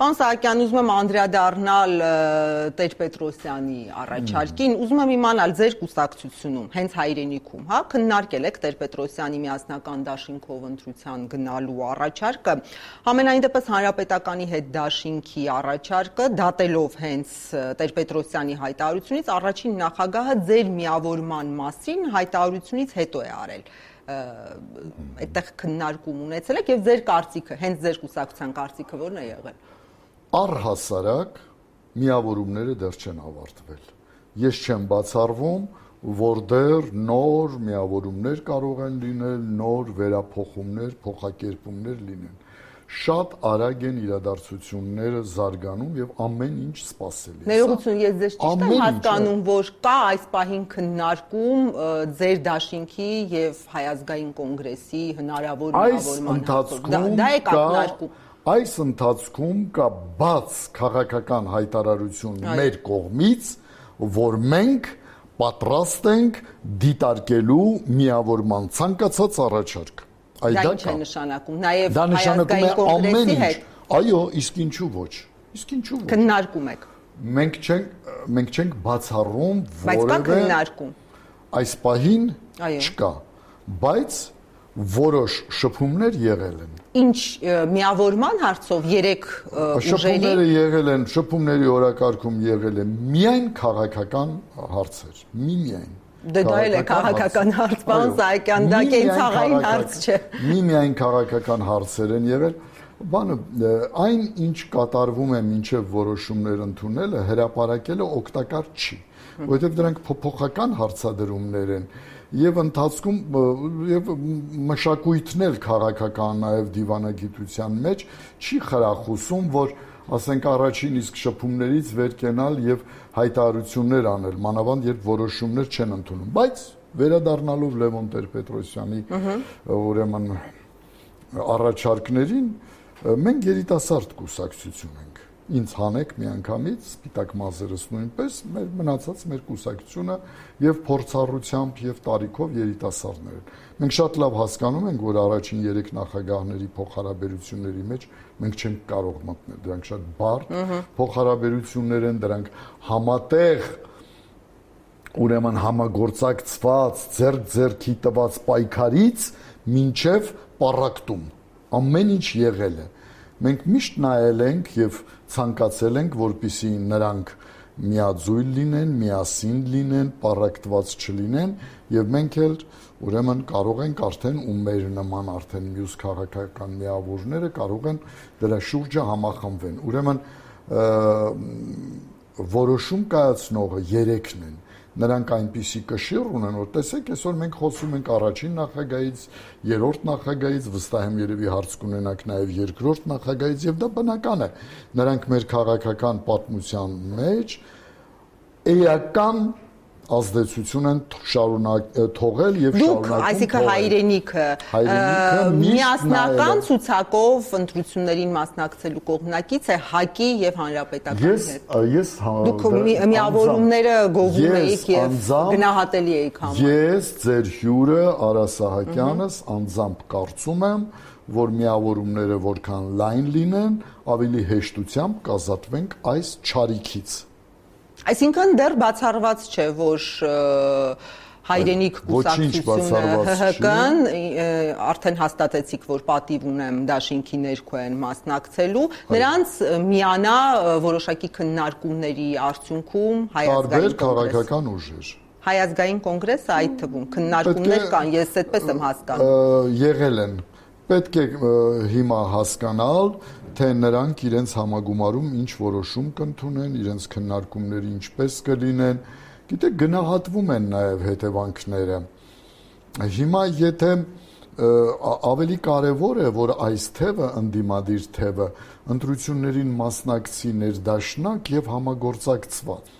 Պարոն Սահակյան, ուզում եմ անդրադառնալ Տեր-Պետրոսյանի առաջարկին, ուզում եմ իմանալ ձեր կուսակցությունում, հենց Հայրենիքում, հա, քննարկել եք Տեր-Պետրոսյանի միասնական դաշինքով ընտրության գնալու առաջարկը, համենայն դեպս Հանրապետականի հետ դաշինքի առաջարկը, դատելով հենց Տեր-Պետրոսյանի հայտարարությունից, առաջին նախագահը ձեր միավորման մասին հայտարարությունից հետո է արել։ Այդտեղ քննարկում ունեցել եք եւ ձեր կարծիքը, հենց ձեր կուսակցության կարծիքը ո՞րն է եղել։ Առհասարակ միավորումները դեռ չեն ավարտվել։ Ես չեմ բացառվում, որ դեռ նոր միավորումներ կարող են լինել, նոր վերափոխումներ, փոխակերպումներ լինեն։ Շատ արագ են իրադարձությունները զարգանում եւ ամեն ինչ սպասելի է։ Ներողություն, ես ձեզ ճիշտ եմ հասկանում, որ կա այս պահին քննարկում ձեր դաշինքի եւ Հայ ազգային կոնգրեսի հնարավոր միավորման հարցով։ Դա է քննարկում։ Այս ընթացքում կա բաց քաղաքական հայտարարություն մեր կողմից, որ մենք պատրաստ ենք դիտարկելու միավորման ցանկացած առաջարկ։ Դա ինչ է նշանակում, նաև Հայ ազգային կոնգրեսի հետ։ Այո, իսկ ինչու ոչ։ Իսկ ինչու ոչ։ Քննարկում եք։ Մենք չենք բացառում որևէ։ Բայց կա քննարկում։ Այս պահին չկա, բայց որոշ շփումներ եղել են։ Ինչ միավորման հարցով 3 ուժերի շփումների օրակարգում եղել են միայն քաղաքական հարցեր, միայն։ Դե դա էլ է քաղաքական հարց, պարոն Սահակյան, դա կենցաղային հարց չէ։ Միայն քաղաքական հարցեր են եղել, բանը այն ինչ կատարվում է մինչև որոշումներ ընդունելը, հրապարակելը օգտակար չի, որովհետև դրանք փոփոխական հարցադրումներ են եւ ընթացքում եւ մշակույթն էլ քաղաքական նաեւ դիվանագիտության մեջ չի խրախուսում, որ ասենք առաջին իսկ շփումներից վեր կենալ եւ հայտարարություններ անել, մանավանդ երբ որոշումներ չեն ընդունում, բայց վերադառնալով Լևոն Տեր-Պետրոսյանի ուրեմն առաջարկներին, մենք երիտասարդ կուսակցություն ենք։ Ինձ հանեք միանգամից, սպիտակ մազերս նույնպես, մեր մնացած մեր կուսակցությունը եւ փորձառությամբ եւ տարիքով երիտասարդներ են։ Մենք շատ լավ հասկանում ենք, որ առաջին 3 նախագահների փոխհարաբերությունների մեջ մենք չենք կարող մտնել, դրանք շատ բարդ փոխհարաբերություններ են, դրանք համատեղ ուրեմն համագործակցված ձեռք-ձեռքի տված պայքարից մինչև պառակտում ամեն ինչ եղել է։ Մենք միշտ նայել ենք եւ ցանկացել ենք, որպեսզի նրանք միաձույլ լինեն, միասին լինեն, պառակտված չլինեն եւ մենք էլ ուրեմն կարող ենք արդեն ու մեր նման արդեն մյուս քաղաքական միավորները կարող են դրա շուրջը համախմբվեն։ Ուրեմն որոշում կայացնողը 3-ն են։ Նրանք այնպիսի կշիռ ունեն, որ տեսեք, այսօր մենք խոսում ենք առաջին նախագահից, 3-րդ նախագահից, վստահ եմ երևի հարց կունենաք նաև 2-րդ նախագահից, եւ դա բնական է։ Նրանք մեր քաղաքական պատմության մեջ էական ազդեցություն են թողել եւ շարունակում։ Դուք, այսինքն Հայրենիքը միասնական ցուցակով ընտրություններին մասնակցելու կողմնակից է ՀԱԿ-ի եւ Հանրապետականի հետ։ Ես Դուք միավորումները գովում էիք եւ գնահատելի էիք համարում։ Ես ձեր հյուրը Արա Սահակյանս անձամբ կարծում եմ, որ միավորումները որքան լայն լինեն, ավելի հեշտությամբ կազատվենք այս չարիքից։ Այսինքն դեռ բացառված չէ, որ Հայրենիք կուսակցությունը ՀՀԿ-ն արդեն հաստատեցիք, որ պատիվ ունեմ դաշինքի ներքո են մասնակցելու, նրանց միանա որոշակի քննարկումների արդյունքում Հայ ազգային կոնգրեսը։ Տարբեր քաղաքական ուժեր։ Հայ ազգային կոնգրեսը այդ թվում քննարկումներ կան, ես այդպես եմ հասկանում։ Եղել են։ Պետք է հիմա հասկանալ, թե նրանք իրենց համագումարում ինչ որոշում կընդունեն, իրենց քննարկումները ինչպես կլինեն, գիտեք, գնահատվում են նաև հետևանքները։ Հիմա եթե ավելի կարևոր է, որ այս թևը, ընդդիմադիր թևը, ընտրություններին մասնակցի ներդաշնակ եւ համագործակցված։